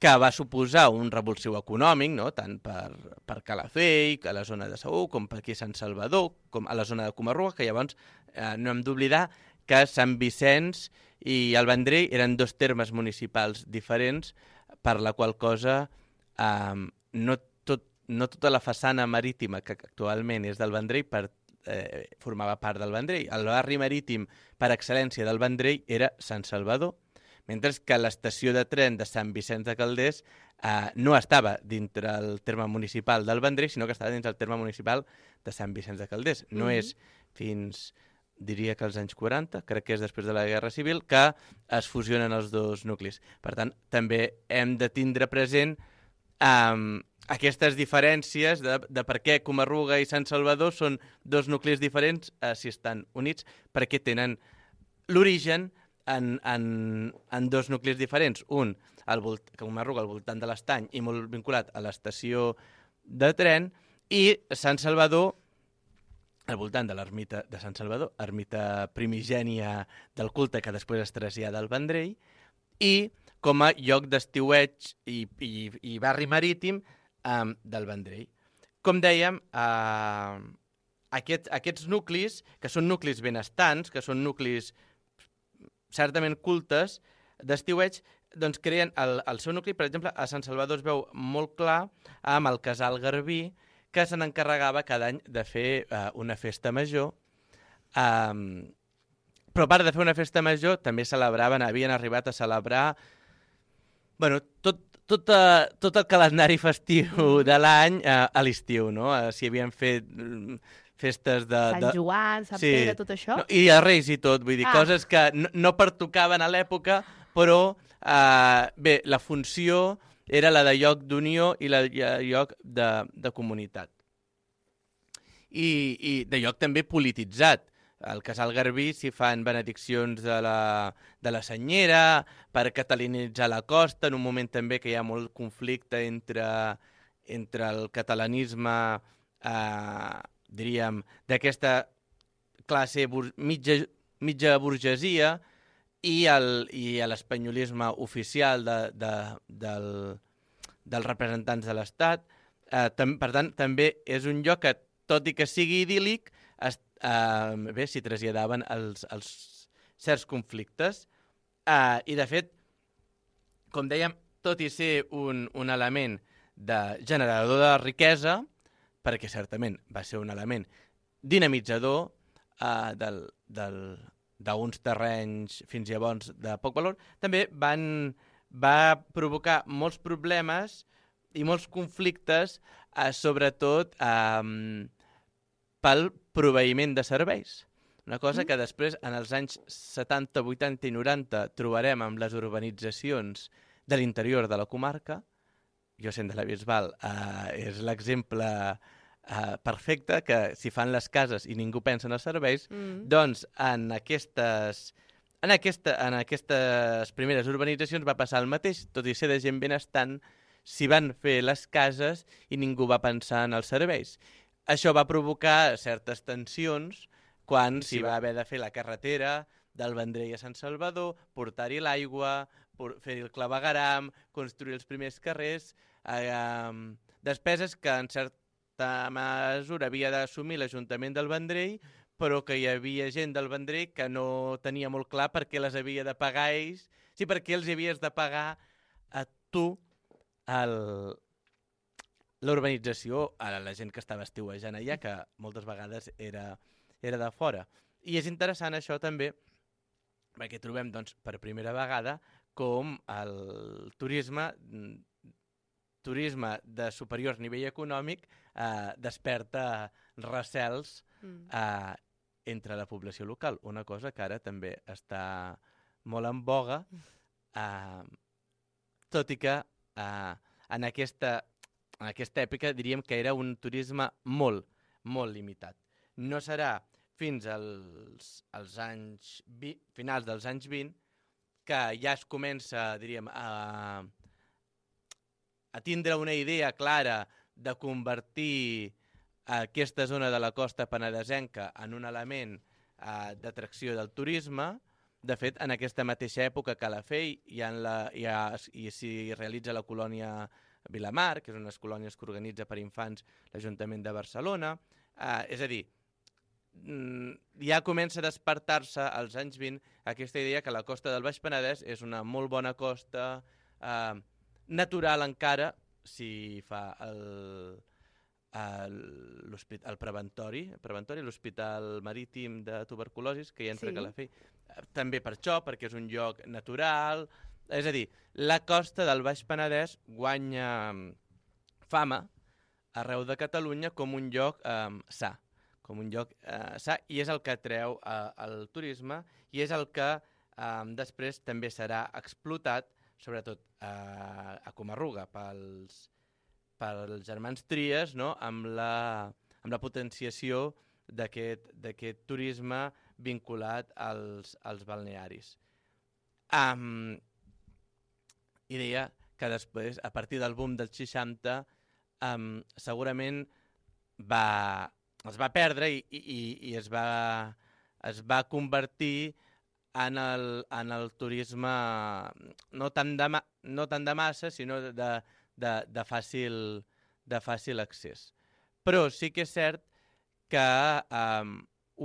que va suposar un revulsiu econòmic, no? Tant per, per Calafell, a la zona de Segur, com per aquí a Sant Salvador, com a la zona de Comarruga, que llavors eh, no hem d'oblidar que Sant Vicenç i el Vendrell eren dos termes municipals diferents, per la qual cosa eh, no, tot, no tota la façana marítima que actualment és del Vendrell per, eh, formava part del Vendrell. El barri marítim per excel·lència del Vendrell era Sant Salvador, mentre que l'estació de tren de Sant Vicenç de Calders eh, no estava dintre el terme municipal del Vendrell, sinó que estava dins el terme municipal de Sant Vicenç de Calders. No Mhm. és fins, diria que als anys quaranta, crec que és després de la Guerra Civil, que es fusionen els dos nuclis. Per tant, també hem de tindre present eh, aquestes diferències de, de per què Comarruga i Sant Salvador són dos nuclis diferents eh, si estan units, perquè tenen l'origen En, en, en dos nuclis diferents. Un, al volt, Comarruga, al voltant de l'Estany i molt vinculat a l'estació de tren, i Sant Salvador, al voltant de l'ermita de Sant Salvador, ermita primigènia del culte que després es trasllada al Vendrell, i com a lloc d'estiueig i, i, i barri marítim um, del Vendrell. Com dèiem, uh, aquest, aquests nuclis, que són nuclis benestants, que són nuclis certament cultes d'estiueig, doncs creen el, el seu nucli. Per exemple, a Sant Salvador es veu molt clar amb el Casal Garbí, que se n'encarregava cada any de fer uh, una festa major. Um, però a part de fer una festa major, també celebraven, havien arribat a celebrar bueno, tot, tot, uh, tot el calendari festiu de l'any uh, a l'estiu, no? Uh, si havien fet uh, festes de... Sant de... Joan, Sant Sí. Pere, tot això? No, i a Reis i tot, vull dir, Ah. coses que no, no pertocaven a l'època, però eh, bé, la funció era la de lloc d'unió i la de lloc de, de comunitat. I, I de lloc també polititzat. Al Casal Garbí s'hi fan benediccions de la, de la senyera per catalanitzar la costa, en un moment també que hi ha molt conflicte entre, entre el catalanisme eh, diríem, d'aquesta classe bur mitja, mitja burgesia i, el, i l'espanyolisme oficial de, de, del, dels representants de l'Estat. Eh, per tant, també és un lloc que, tot i que sigui idíl·lic, es, eh, bé, s'hi traslladaven els, els certs conflictes. Eh, I, de fet, com dèiem, tot i ser un, un element de generador de riquesa, perquè certament va ser un element dinamitzador eh, del, del, d'uns terrenys fins llavors de poc valor, també van, va provocar molts problemes i molts conflictes, eh, sobretot eh, pel proveïment de serveis. Una cosa que després, en els anys setanta, vuitanta i noranta, trobarem amb les urbanitzacions de l'interior de la comarca. Jo sent de la Bisbal, eh, és l'exemple eh, perfecte que si fan les cases i ningú pensa en els serveis, Mm. doncs en aquestes, en, aquesta, en aquestes primeres urbanitzacions va passar el mateix, tot i ser de gent benestant, s'hi van fer les cases i ningú va pensar en els serveis. Això va provocar certes tensions quan s'hi va haver de fer la carretera del Vendrell a Sant Salvador, portar-hi l'aigua, fer-hi el clavegueram, construir els primers carrers, eh, despeses que en certa mesura havia d'assumir l'Ajuntament del Vendrell, però que hi havia gent del Vendrell que no tenia molt clar per què les havia de pagar ells, sí, per què els havies de pagar a tu l'urbanització, a la gent que estava estiuejant allà, que moltes vegades era, era de fora. I és interessant això també, perquè trobem doncs, per primera vegada com el turisme turisme de superior nivell econòmic eh, desperta recels Mm. eh, entre la població local, una cosa que ara també està molt en boga, eh, tot i que eh, en, aquesta, en aquesta època diríem que era un turisme molt, molt limitat. No serà fins als, als anys vi, finals dels anys vint que ja es comença, diríem, a, a tindre una idea clara de convertir aquesta zona de la costa penedesenca en un element eh, d'atracció del turisme. De fet, en aquesta mateixa època que la Calafell hi ha la, hi ha, hi s'hi realitza la colònia Vilamar, que és unes colònies que organitza per infants l'Ajuntament de Barcelona. Eh, és a dir, ja comença a despertar-se als anys vint aquesta idea que la costa del Baix Penedès és una molt bona costa, eh, natural encara, si fa el, el, el preventori, el preventori, l'Hospital Marítim de Tuberculosis, que hi entra Sí. a Calafell. També per això, perquè és un lloc natural. És a dir, la costa del Baix Penedès guanya fama arreu de Catalunya com un lloc eh, sa, com un lloc eh, sa, i és el que atreu eh, el turisme i és el que eh, després també serà explotat, sobretot eh, a Comarruga, pels, pels germans Tries, no? amb, la, amb la potenciació d'aquest d'aquest turisme vinculat als, als balnearis. Um, I deia que després, a partir del boom dels seixanta, um, segurament va, es va perdre i, i, i es, va, es va convertir en el, en el turisme no tant de, ma, no tant de massa, sinó de, de, de, fàcil, de fàcil accés. Però sí que és cert que um,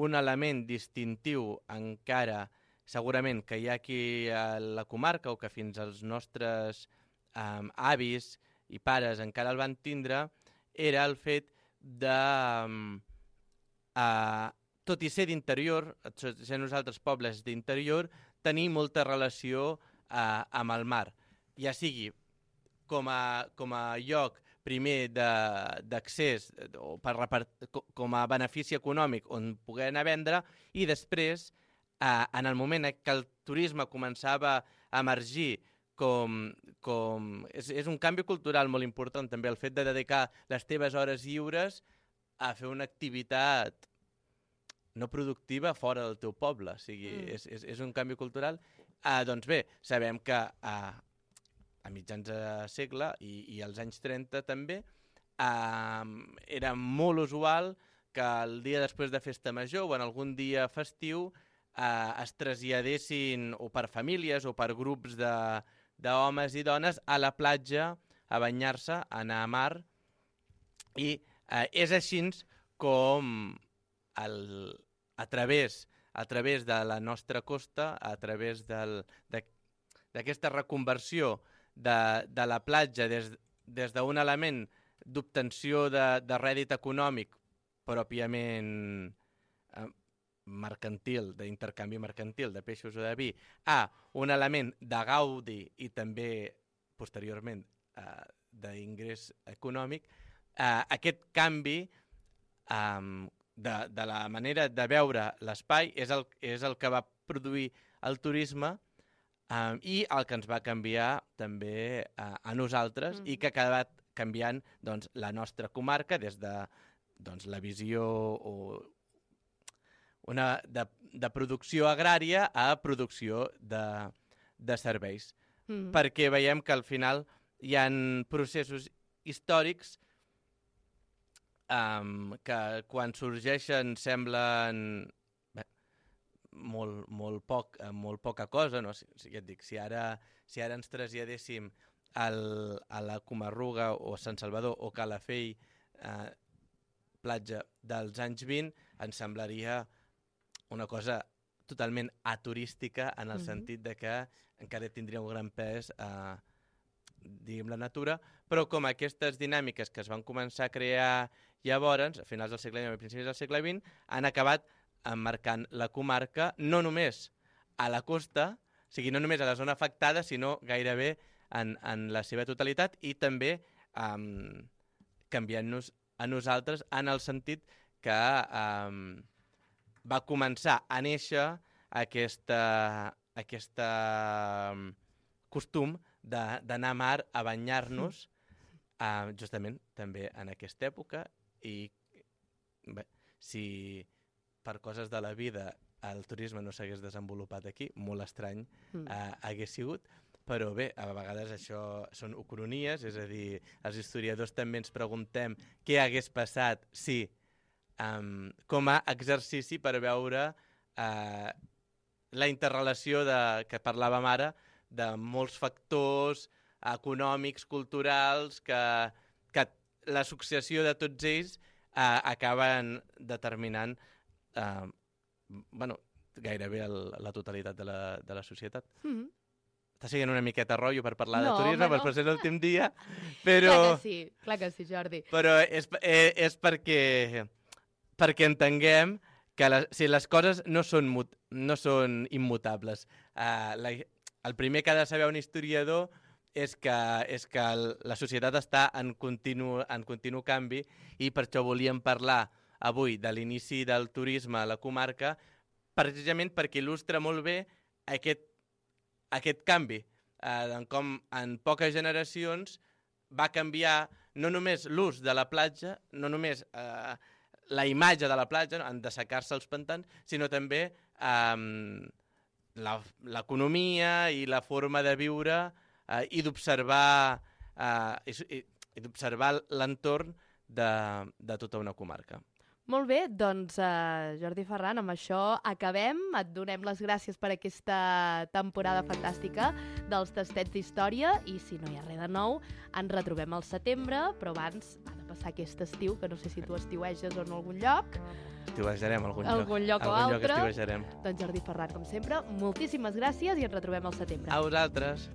un element distintiu encara, segurament que hi ha aquí a la comarca o que fins als nostres um, avis i pares encara el van tindre, era el fet de, um, uh, tot i ser d'interior, ser nosaltres pobles d'interior, tenir molta relació uh, amb el mar, ja sigui com a, com a lloc primer d'accés o per repart... com a benefici econòmic on poder anar a vendre i després, eh, en el moment que el turisme començava a emergir com... com... És, és un canvi cultural molt important també, el fet de dedicar les teves hores lliures a fer una activitat no productiva fora del teu poble. O sigui, mm. és, és, és un canvi cultural. Eh, doncs bé, sabem que eh, a mitjans de segle i, i als anys trenta també, eh, era molt usual que el dia després de festa major o en algun dia festiu eh, es traslladessin o per famílies o per grups d'homes i dones a la platja a banyar-se, a anar a mar. I eh, és així com el, a, través, a través de la nostra costa, a través d'aquesta reconversió De, de la platja des, des d'un element d'obtenció de, de rèdit econòmic pròpiament eh, mercantil, d'intercanvi mercantil de peixos o de vi, a un element de gaudi i també posteriorment eh, d'ingrés econòmic, eh, aquest canvi eh, de, de la manera de veure l'espai és el, és el que va produir el turisme Um, i el que ens va canviar també uh, a nosaltres mm. i que ha acabat canviant doncs, la nostra comarca des de doncs, la visió o una, de, de producció agrària a producció de, de serveis. Mm. Perquè veiem que al final hi ha processos històrics um, que quan sorgeixen semblen molt, molt, poc, molt poca cosa, no? Si, si, ja et dic, si ara, si ara ens traslladéssim al, a la Comarruga o a Sant Salvador o Calafell, eh, platja dels anys vint, ens semblaria una cosa totalment aturística en el mm-hmm. sentit de que encara tindria un gran pes eh, diguem la natura, però com aquestes dinàmiques que es van començar a crear llavors, a finals del segle dinou i principis del segle vint, han acabat emmarcant la comarca no només a la costa, o sigui, no només a la zona afectada, sinó gairebé en, en la seva totalitat i també um, canviant-nos a nosaltres en el sentit que um, va començar a néixer aquesta, aquesta um, costum d'anar a mar a banyar-nos uh, justament també en aquesta època i bé, si per coses de la vida el turisme no s'hagués desenvolupat aquí, molt estrany mm. uh, hagués sigut, però bé, a vegades això són ucronies, és a dir, els historiadors també ens preguntem què hagués passat si, um, com a exercici per veure uh, la interrelació de, que parlàvem ara de molts factors econòmics, culturals, que, que la successió de tots ells uh, acaben determinant uh, bueno, gairebé el, la totalitat de la, de la societat. Mm-hmm. Està siguent una miqueta rotllo per parlar no, de turisme, però no. És l'últim dia, però... Clar que sí, clar que sí, Jordi. Però és, és, és perquè, perquè entenguem que les, si les coses no són, mut, no són immutables. Uh, la, el primer que ha de saber un historiador és que, és que el, la societat està en continu, en continu canvi i per això volíem parlar avui de l'inici del turisme a la comarca, precisament perquè il·lustra molt bé aquest, aquest canvi, eh, en com en poques generacions va canviar no només l'ús de la platja, no només eh, la imatge de la platja, en dessecar-se els pantans, sinó també eh, l'economia i la forma de viure eh, i d'observar eh, i, i d'observar l'entorn de, de tota una comarca. Molt bé, doncs uh, Jordi Ferran, amb això acabem. Et donem les gràcies per aquesta temporada fantàstica dels Tastets d'Història i si no hi ha res de nou, ens retrobem al setembre, però abans ha de passar aquest estiu, que no sé si tu estiueges o en algun lloc. Estiuejarem algun, algun lloc. lloc o algun altre. Lloc doncs Jordi Ferran, com sempre, moltíssimes gràcies i ens retrobem al setembre. A vosaltres.